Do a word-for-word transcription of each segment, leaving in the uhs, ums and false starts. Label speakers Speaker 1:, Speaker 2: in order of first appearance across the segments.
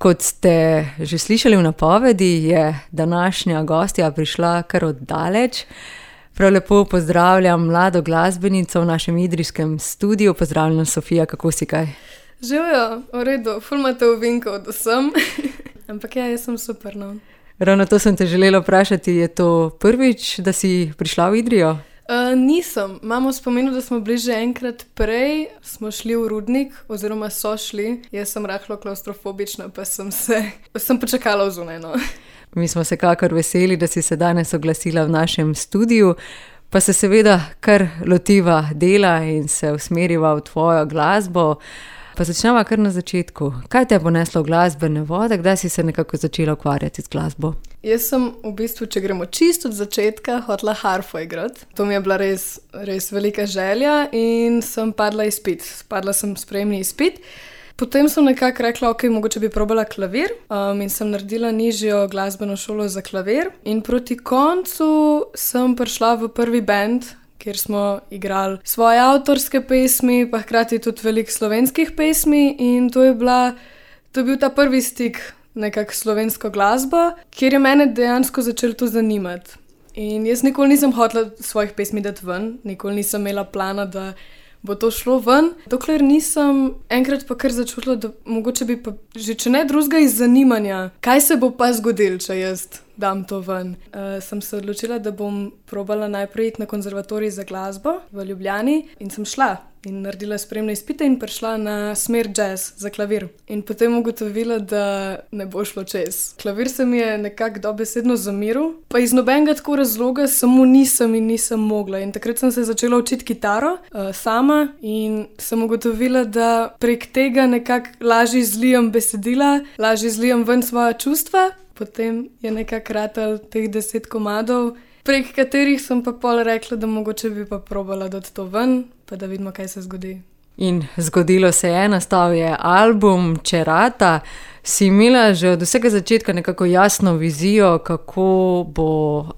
Speaker 1: Kot ste že slišali v napovedi, je današnja gostja prišla kar od daleč. Prav lepo pozdravljam mlado glasbenico v našem idrijskem studiu. Pozdravljena, Sofija, kako si kaj?
Speaker 2: Živijo, v redu, ful imate ovinka od vsem, ampak ja, jaz sem super, no.
Speaker 1: Ravno to sem te želela vprašati, je to prvič, da si prišla v Idrijo?
Speaker 2: Uh, nisem, imamo spominu, da smo bili že enkrat prej, smo šli v Rudnik, oziroma so šli, jaz sem rahlo klaustrofobična, pa sem se, sem počakala v zunaj, no.
Speaker 1: Mi smo se kakor veseli, da si se danes oglasila v našem studiu, pa se seveda kar lotiva dela in se usmeriva v tvojo glasbo. Pa začneva kar na začetku. Kaj te je poneslo v glasbene vode? Kdaj si se nekako začela ukvarjati z glasbo?
Speaker 2: Jaz sem v bistvu, če gremo čisto od začetka, hotela harfo igrati. To mi je bila res, res velika želja in sem padla izpit. Padla sem sprejemni izpit. Potem sem nekako rekla, ok, mogoče bi probala klavir um, in sem naredila nižjo glasbeno šolo za klavir. In proti koncu sem prišla v prvi band, kjer smo igrali svoje avtorske pesmi, pa hkrati tudi veliko slovenskih pesmi in to je bila, to je bil ta prvi stik nekako s slovensko glasbo, kjer je mene dejansko začelo to zanimati. In jaz nikoli nisem hotela svojih pesmi dati ven, nikoli nisem imela plana, da bo to šlo ven, dokler nisem enkrat pa kar začutila, da mogoče bi pa že če ne drugega iz zanimanja, kaj se bo pa zgodilo, če jaz dam to ven. Uh, sem se odločila, da bom probala najprej iti na konzervatorij za glasbo v Ljubljani in sem šla in naredila spremne izpite in prišla na smer jazz za klavir. In potem ugotovila, da ne bo šlo čez. Klavir se mi je nekako dobesedno zamiril, pa iz nobenega tako razloga samo nisem in nisem mogla. In takrat sem se začela učiti kitaro uh, sama in sem ugotovila, da prek tega nekako lažje zlijem besedila, lažje zlijem ven svoja čustva. Potem je nekako ratal teh deset komadov, prek katerih sem pa pol rekla, da mogoče bi pa probala dati to ven, pa da vidimo, kaj se zgodi.
Speaker 1: In zgodilo se je, nastal je album Če rata. Si imela že od vsega začetka nekako jasno vizijo, kako bo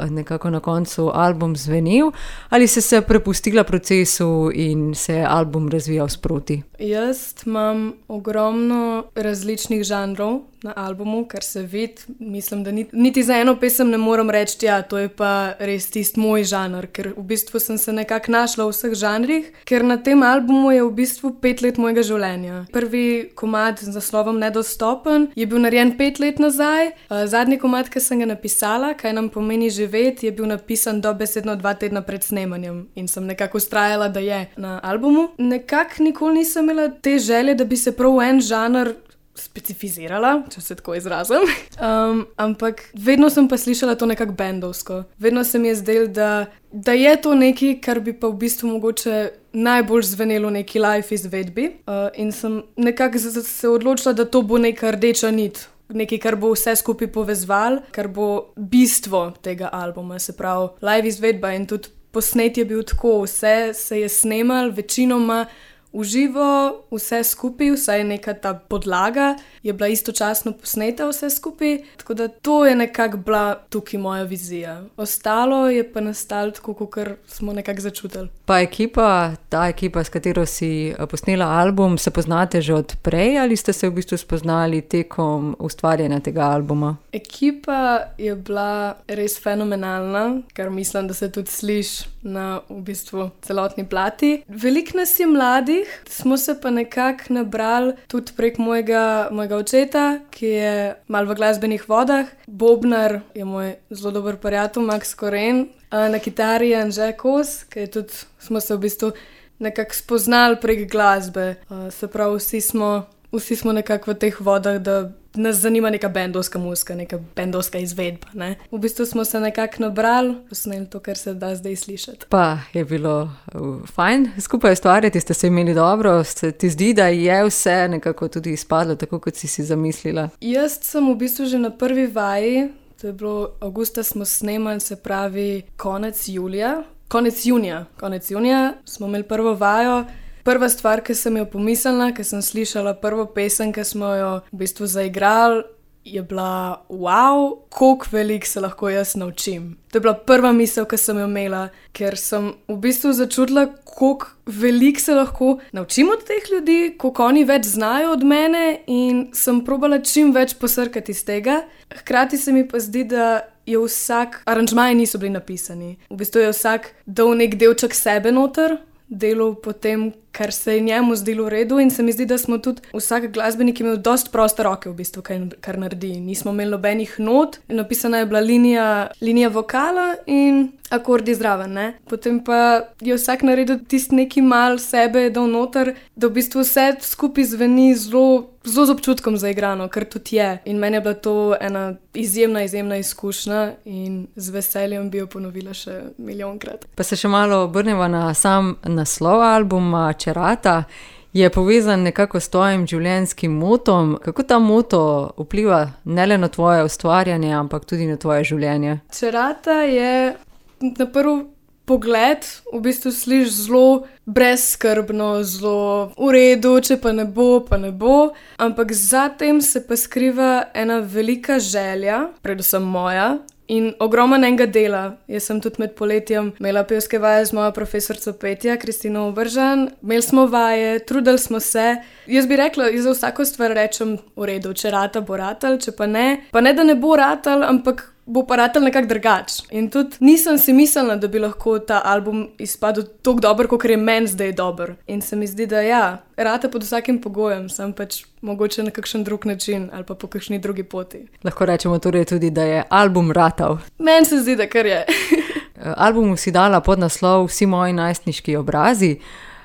Speaker 1: nekako na koncu album zvenel, ali si se prepustila procesu in se je album razvijal sproti?
Speaker 2: Jaz imam ogromno različnih žanrov na albumu, kar se vidi. Mislim, da niti, niti za eno pesem ne morem reči, ja, to je pa res tisti moj žanr, ker v bistvu sem se nekako našla v vseh žanrih, ker na tem albumu je v bistvu pet let mojega življenja. Prvi komad z naslovom Nedostopen je bil narejen pet let nazaj, zadnji komad, ki sem ga napisala, Kaj nam pomeni živeti, je bil napisan dobesedno dva tedna pred snemanjem in sem nekako vztrajala, da je na albumu. Nekako nikoli nisem imela te želje, da bi se prav en žanr specificirala, če se tako izrazim. Um, ampak vedno sem pa slišala to nekako bendovsko. Vedno se mi je zdelo, da, da je to nekaj, kar bi pa v bistvu mogoče najbolj zvenelo v neki live izvedbi. Uh, in sem nekako se odločila, da to bo neka rdeča nit. Nekaj, kar bo vse skupaj povezval, kar bo bistvo tega albuma. Se pravi, live izvedba in tudi posnet je bil tako. Vse se je snemal, večinoma v živo, vse skupaj, vsaj neka ta podlaga je bila istočasno posneta vse skupaj, tako da to je nekako bila tukaj moja vizija. Ostalo je pa nastalo tako, kakor smo nekako začutili.
Speaker 1: Pa ekipa, ta ekipa, s katero si posnela album, se poznate že od prej ali ste se v bistvu spoznali tekom ustvarjanja tega albuma?
Speaker 2: Ekipa je bila res fenomenalna, kar mislim, da se tudi sliši na v bistvu celotni plati. Veliko nas je mladih, smo se pa nekako nabrali tudi prek mojega, mojega očeta, ki je malo v glasbenih vodah. Bobnar je moj zelo dober prijatelj, Max Koren. Na kitari je Anže Kos, ki je tudi, smo se v bistvu nekako spoznali prek glasbe. Se pravi, vsi smo, vsi smo nekako v teh vodah, da nas zanima neka bendovska muzika, neka bendovska izvedba, ne. V bistvu smo se nekako nabrali, posneli to, kar se da zdaj slišati.
Speaker 1: Pa je bilo uh, fajn skupaj ustvarjati, ste se imeli dobro, se ti zdi, da je vse nekako tudi izpadlo tako, kot si si zamislila?
Speaker 2: Jaz sem v bistvu že na prvi vaji, to je bilo avgusta smo snemali, se pravi konec julija, konec junija, konec junija smo imeli prvo vajo. Prva stvar, ki sem jo pomislila, ki sem slišala prvo pesem, ki smo jo v bistvu zaigrali, je bila, wow, koliko veliko se lahko jaz naučim. To je bila prva misel, ki sem jo imela, ker sem v bistvu začutila, koliko veliko se lahko naučim od teh ljudi, koliko oni več znajo od mene in sem probala čim več posrkati iz tega. Hkrati se mi pa zdi, da je vsak, aranžmaji niso bili napisani. V bistvu je vsak dal nek delček sebe noter, delal po tem, kar se je njemu zdelo v redu in se mi zdi, da smo tudi vsak glasbenik imel dosti proste roke v bistvu, kaj, kar naredi. Nismo imeli nobenih not, napisana je bila linija, linija vokala in akordi zraven, ne. Potem pa je vsak naredil tisti neki mal sebe, dal noter, da v bistvu vse skupaj zveni zelo, zelo z občutkom zaigrano, kar tudi je. In meni je bila to ena izjemna, izjemna izkušnja in z veseljem bi jo ponovila še milijonkrat.
Speaker 1: Pa se še malo obrneva na sam naslov albuma Čerata. Je povezan nekako s tvojim življenjskim motom. Kako ta moto vpliva ne le na tvoje ustvarjanje, ampak tudi na tvoje življenje?
Speaker 2: Čerata je na prvi pogled v bistvu sliši zelo brezskrbno, zelo v redu, če pa ne bo, pa ne bo. Ampak za tem se pa skriva ena velika želja, predvsem moja, in ogromno enega dela. Jaz sem tudi med poletjem imela pevske vaje z mojo profesorico petja, Kristino Obržan. Imeli smo vaje, trudili smo se. Jaz bi rekla, jaz za vsako stvar rečem v redu, če rata, bo ratal, če pa ne. Pa ne, da ne bo ratal, ampak bo pa ratal nekako drugač. In tudi nisem si mislila, da bi lahko ta album izpadel tako dober, kakor je meni zdaj dober. In se mi zdi, da ja, rata pod vsakim pogojem, sem pač mogoče na kakšen drug način ali pa po kakšni drugi poti.
Speaker 1: Lahko rečemo torej tudi, da je album ratal.
Speaker 2: Meni se zdi, da kar je.
Speaker 1: Albumu si dala podnaslov Vsi moji najstniški obrazi.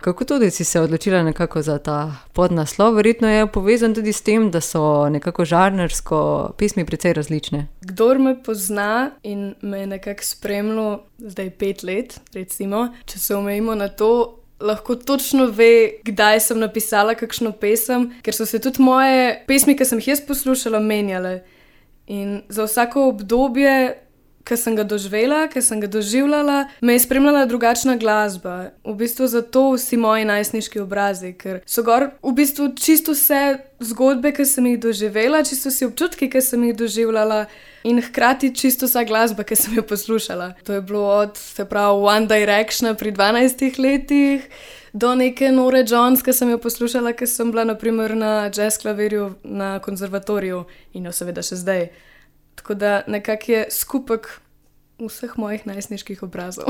Speaker 1: Kako tudi si se odločila nekako za ta podnaslov? Verjetno je povezan tudi s tem, da so nekako žanrsko pesmi precej različne.
Speaker 2: Kdor me pozna in me je nekako spremljal zdaj pet let, recimo, če se omejimo na to, lahko točno ve, kdaj sem napisala kakšno pesem, ker so se tudi moje pesmi, ki sem jih jaz poslušala, menjale. In za vsako obdobje, ki sem ga doživela, ki sem ga doživljala, me je spremljala drugačna glasba. V bistvu zato Vsi moji najstniški obrazi, ker so gor v bistvu čisto vse zgodbe, ki sem jih doživela, čisto vsi občutki, ki sem jih doživljala in hkrati čisto vsa glasba, ki sem jo poslušala. To je bilo od, se pravi, One Directiona pri dvanajstih letih do neke Nore Jones, ki sem jo poslušala, ki sem bila na primer na jazz klavirju na konzervatoriju in jo seveda še zdaj. Tako da nekako je skupek vseh mojih najstniških obrazov.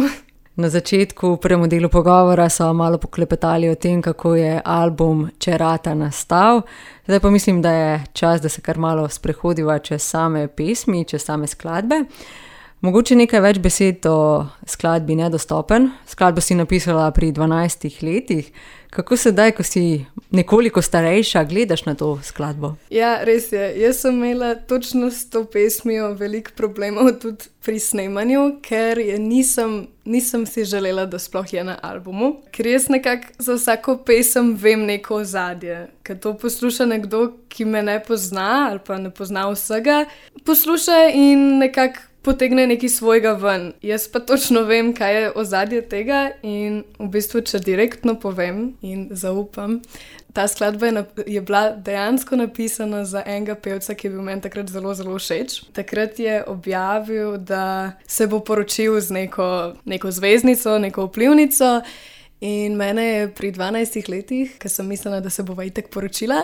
Speaker 1: Na začetku, v prvem delu pogovora, so malo poklepetali o tem, kako je album Čerata nastal. Zdaj pa mislim, da je čas, da se kar malo sprehodiva čez same pesmi, čez same skladbe. Mogoče nekaj več besed o skladbi Nedostopen. Skladbo si napisala pri dvanajstih letih. Kako sedaj, ko si nekoliko starejša, gledaš na to skladbo?
Speaker 2: Ja, res je. Jaz sem imela točno s to pesmijo veliko problemov tudi pri snemanju, ker je nisem, nisem si želela, da sploh je na albumu. Ker jaz nekako za vsako pesem vem neko ozadje. Ker to posluša nekdo, ki me ne pozna ali pa ne pozna vsega, posluša in nekako potegne nekaj svojega ven. Jaz pa točno vem, kaj je ozadje tega in v bistvu, če direktno povem in zaupam, ta skladba je, je bila dejansko napisana za enega pevca, ki je bil meni takrat zelo, zelo všeč. Takrat je objavil, da se bo poročil z neko, neko zvezdnico, neko vplivnico. In mene je pri dvanajstih letih, ko sem mislila, da se bova itak poročila,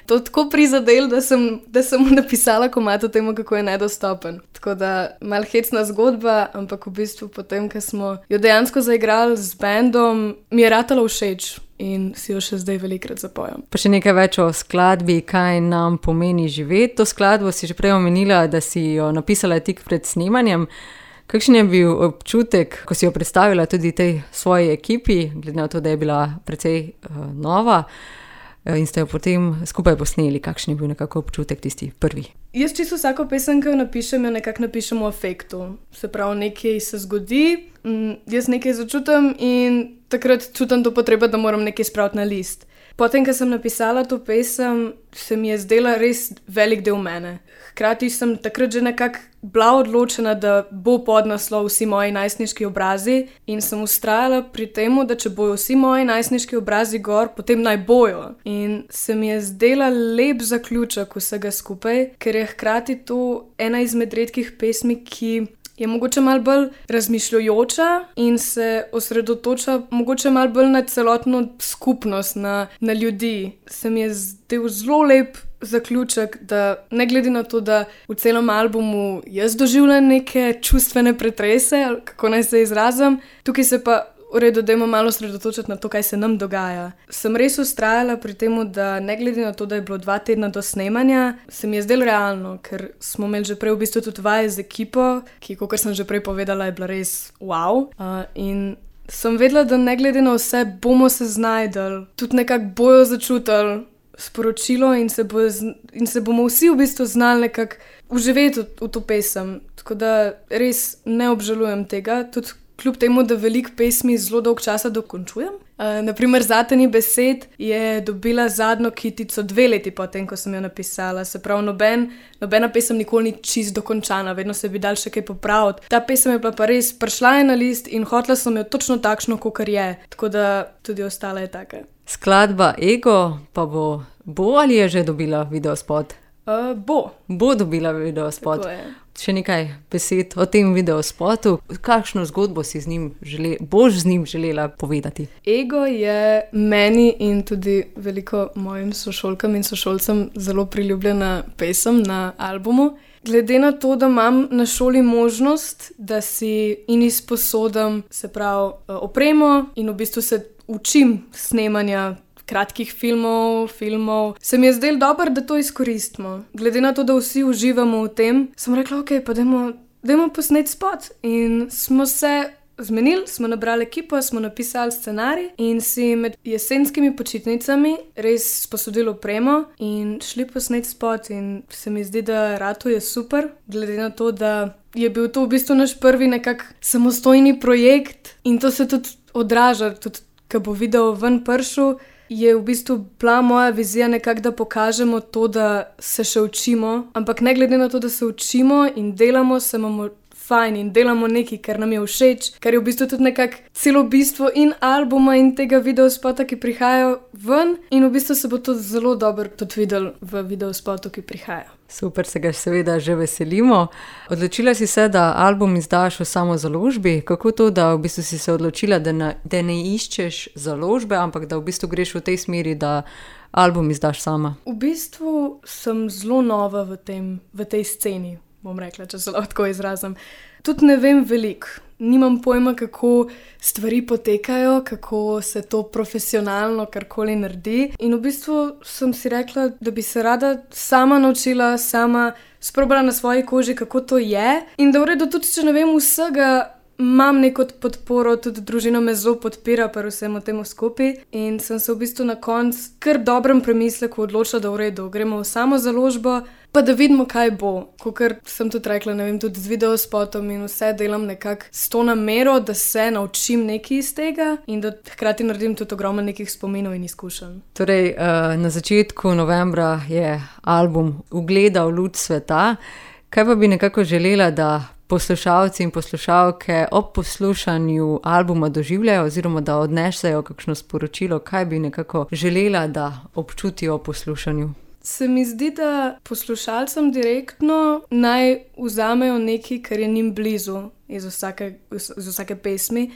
Speaker 2: to tako prizadel, da sem, da sem mu napisala komad o tem, kako je nedostopen. Tako da mal hecna zgodba, ampak v bistvu potem, ko smo jo dejansko zaigrali z bandom, mi je ratalo všeč in si jo še zdaj velikrat zapojam.
Speaker 1: Pa še nekaj več o skladbi, kaj nam pomeni živeti. To skladbo si že prej omenila, da si jo napisala tik pred snemanjem. Kakšen je bil občutek, ko si jo predstavila tudi tej svoji ekipi, glede na to, da je bila precej uh, nova in ste jo potem skupaj posneli? Kakšen je bil nekako občutek tisti prvi?
Speaker 2: Jaz čisto vsako pesem, ki jo napišem, jo nekako napišem v afektu. Se pravi, nekaj se zgodi, m, jaz nekaj začutim in takrat čutim to potrebo, da moram nekaj spraviti na list. Potem, ko sem napisala to pesem, se mi je zdela res velik del mene. Hkrati sem takrat že nekako bila odločena, da bo podnaslov Vsi moji najstniški obrazi in sem vztrajala pri tem, da če bojo vsi moji najstniški obrazi gor, potem naj bojo. In se mi je zdela lep zaključek vsega skupaj, ker je hkrati to ena izmed redkih pesmi, ki je mogoče malo bolj razmišljujoča in se osredotoča mogoče malo bolj na celotno skupnost, na, na ljudi. Se mi je zdel zelo lep zaključek, da ne glede na to, da v celem albumu jaz doživljam neke čustvene pretrese, ali kako naj se izrazim, tukaj se pa v redu, dajmo malo sredotočiti na to, kaj se nam dogaja. Sem res vztrajala pri tem, da ne glede na to, da je bilo dva tedna do snemanja, se mi je zdelo realno, ker smo imeli že prej v bistvu tudi vaje z ekipo, ki, kot sem že prej povedala, je bila res wow. Uh, in sem vedela, da ne glede na vse, bomo se znajdali, tudi nekako bojo začutili sporočilo in se, bo, in se bomo vsi v bistvu znali nekako uživeti v, v to pesem. Tako da res ne obžalujem tega, tudi kljub temu, da veliko pesmi zelo dolg časa dokončujem. Uh, naprimer, Zate ni besed je dobila zadnjo kitico dve leti potem, ko sem jo napisala. Se pravi, noben, nobena pesem nikoli ni čist dokončana, vedno se bi dal še kaj popraviti. Ta pesem je bila pa res, prišla je na list in hotela sem jo točno takšno, kakor je. Tako da tudi ostala je taka.
Speaker 1: Skladba Ego pa bo, bo ali je že dobila videospot?
Speaker 2: Uh, bo.
Speaker 1: Bo dobila videospot. Še nekaj besed o tem videospotu. Kakšno zgodbo si z njim žele, boš z njim želela povedati?
Speaker 2: Ego je meni in tudi veliko mojim sošolkam in sošolcem zelo priljubljena pesem na albumu. Glede na to, da imam na šoli možnost, da si in izposodam, se pravi, opremo in v bistvu se učim snemanja kratkih filmov, filmov, se mi je zdelo dobro, da to izkoristimo. Glede na to, da vsi uživamo v tem, sem rekla, ok, pa dajmo, dajmo posneti spot. In smo se zmenili, smo nabrali ekipo, smo napisali scenarij in si med jesenskimi počitnicami res sposodili opremo in šli posneti spot. In se mi zdi, da rato je super, glede na to, da je bil to v bistvu naš prvi nekak samostojni projekt in to se tudi odraža, tudi ko bo video ven prišel, je v bistvu bila moja vizija nekako, da pokažemo to, da se še učimo, ampak ne glede na to, da se učimo in delamo, se imamo fajn in delamo nekaj, kar nam je všeč, kar je v bistvu tudi nekako celo bistvo in albuma in tega videospota, ki prihajajo ven in v bistvu se bo to zelo dobro tudi videl v videospotu, ki prihaja.
Speaker 1: Super, se ga seveda že veselimo. Odločila si se, da album izdaš v samozaložbi. Kako to, da v bistvu si se odločila, da ne, da ne iščeš založbe, ampak da v bistvu greš v tej smeri, da album izdaš sama?
Speaker 2: V bistvu sem zelo nova v, tem, v tej sceni, bom rekla, če se lahko izrazim. Tudi ne vem veliko. Nimam pojma, kako stvari potekajo, kako se to profesionalno karkoli naredi. In v bistvu sem si rekla, da bi se rada sama naučila, sama sprobala na svoji koži, kako to je. In da v redu, tudi če ne vem vsega, imam neko podporo, tudi družina me zelo podpira pri vsemu temu skupaj. In sem se v bistvu na koncu kar dobrem premisleku odločila, da v redu, gremo v samo založbo, pa da vidimo, kaj bo. Kakor sem tudi rekla, ne vem, tudi z videospotom in vse delam nekako s to namero, da se naučim nekaj iz tega in da hkrati naredim tudi ogromno nekih spominov in izkušenj.
Speaker 1: Torej, na začetku novembra je album ugledal luč sveta. Kaj pa bi nekako želela, da poslušalci in poslušalke ob poslušanju albuma doživljajo oziroma da odnesejo kakšno sporočilo? Kaj bi nekako želela, da občutijo ob poslušanju?
Speaker 2: Se mi zdi, da poslušalcem direktno naj vzamejo nekaj, kar je njim blizu iz vsake, iz vsake pesmi.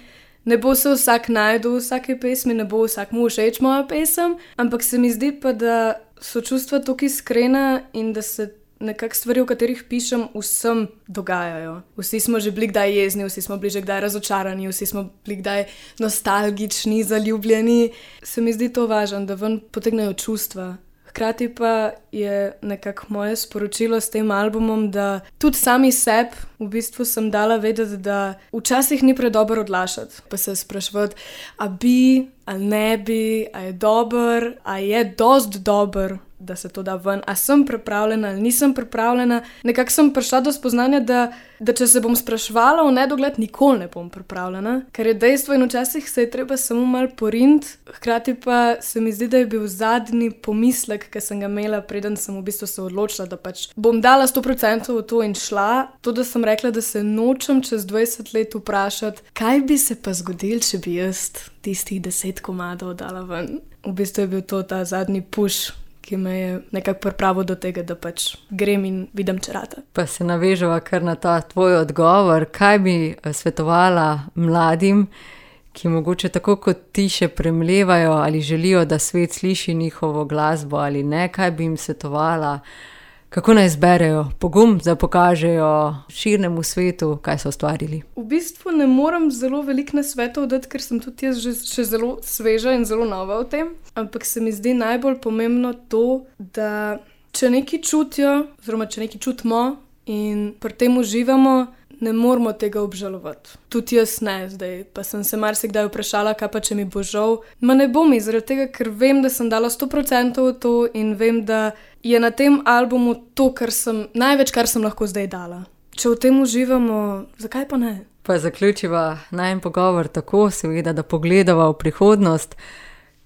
Speaker 2: Ne bo se vsak najdel v vsake pesmi, ne bo vsakmu všeč moja pesem, ampak se mi zdi pa, da so čustva toliko iskrena in da se nekako stvari, o katerih pišem, vsem dogajajo. Vsi smo že bili kdaj jezni, vsi smo bili že kdaj razočarani, vsi smo bili kdaj nostalgični, zaljubljeni. Se mi zdi to važno, da ven potegnejo čustva. Hkrati pa je nekako moje sporočilo s tem albumom, da tudi sami sebi v bistvu sem dala vedeti, da včasih ni predobro odlašati. Pa se spraševati, a bi, ali ne bi, a je dober, a je dost dober, da se to da ven. A sem pripravljena ali nisem pripravljena. Nekako sem prišla do spoznanja, da, da če se bom spraševala v nedogled, nikoli ne bom pripravljena. Ker je dejstvo in včasih se je treba samo malo poriniti. Hkrati pa se mi zdi, da je bil zadnji pomislek, ki sem ga imela, preden sem v bistvu se odločila, da pač bom dala sto procentov v to in šla. To, da sem rekla, da se nočem čez dvajset let vprašati, kaj bi se pa zgodilo, če bi jaz tistih deset komadov dala ven. V bistvu je bil to ta zadnji push, ki me je nekako pripravil do tega, da pač grem in vidim, če rata.
Speaker 1: Pa se naveževa kar na ta tvoj odgovor. Kaj bi svetovala mladim, ki mogoče tako kot ti še premlevajo ali želijo, da svet sliši njihovo glasbo ali ne? Kaj bi jim svetovala? Kako naj zberejo pogum, da pokažejo širnemu svetu, kaj so ustvarili?
Speaker 2: V bistvu ne morem zelo veliko nasvetov dati, ker sem tudi jaz že, še zelo sveža in zelo nova v tem. Ampak se mi zdi najbolj pomembno to, da če nekaj čutijo, oziroma če nekaj čutimo in pri tem uživamo, ne moramo tega obžalovati. Tudi jaz ne zdaj, pa sem se marsikdaj vprašala, kaj pa če mi bo žal. Ma ne bo mi, zaradi tega, ker vem, da sem dala sto procentov v to in vem, da je na tem albumu to, kar sem, največ, kar sem lahko zdaj dala. Če v tem uživamo, zakaj pa ne?
Speaker 1: Pa zaključiva najin pogovor tako, seveda, da pogledava v prihodnost.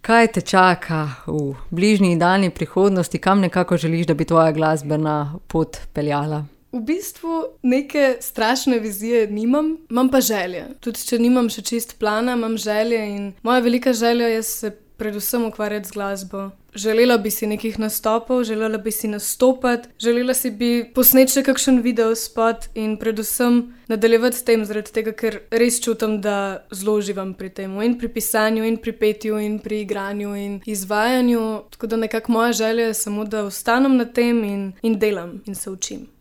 Speaker 1: Kaj te čaka v bližnji in daljni prihodnosti, kam nekako želiš, da bi tvoja glasbena pot peljala?
Speaker 2: V bistvu neke strašne vizije nimam, imam pa želje. Tudi če nimam še čist plana, imam želje in moja velika želja je se predvsem ukvarjati z glasbo. Želela bi si nekih nastopov, želela bi si nastopati, želela si bi posneti še kakšen video spot in predvsem nadaljevati s tem, zaradi tega, ker res čutim, da zelo uživam pri tem, in pri pisanju, in pri petju, in pri igranju, in izvajanju. Tako da nekako moja želja je samo, da ostanem na tem in, in delam in se učim.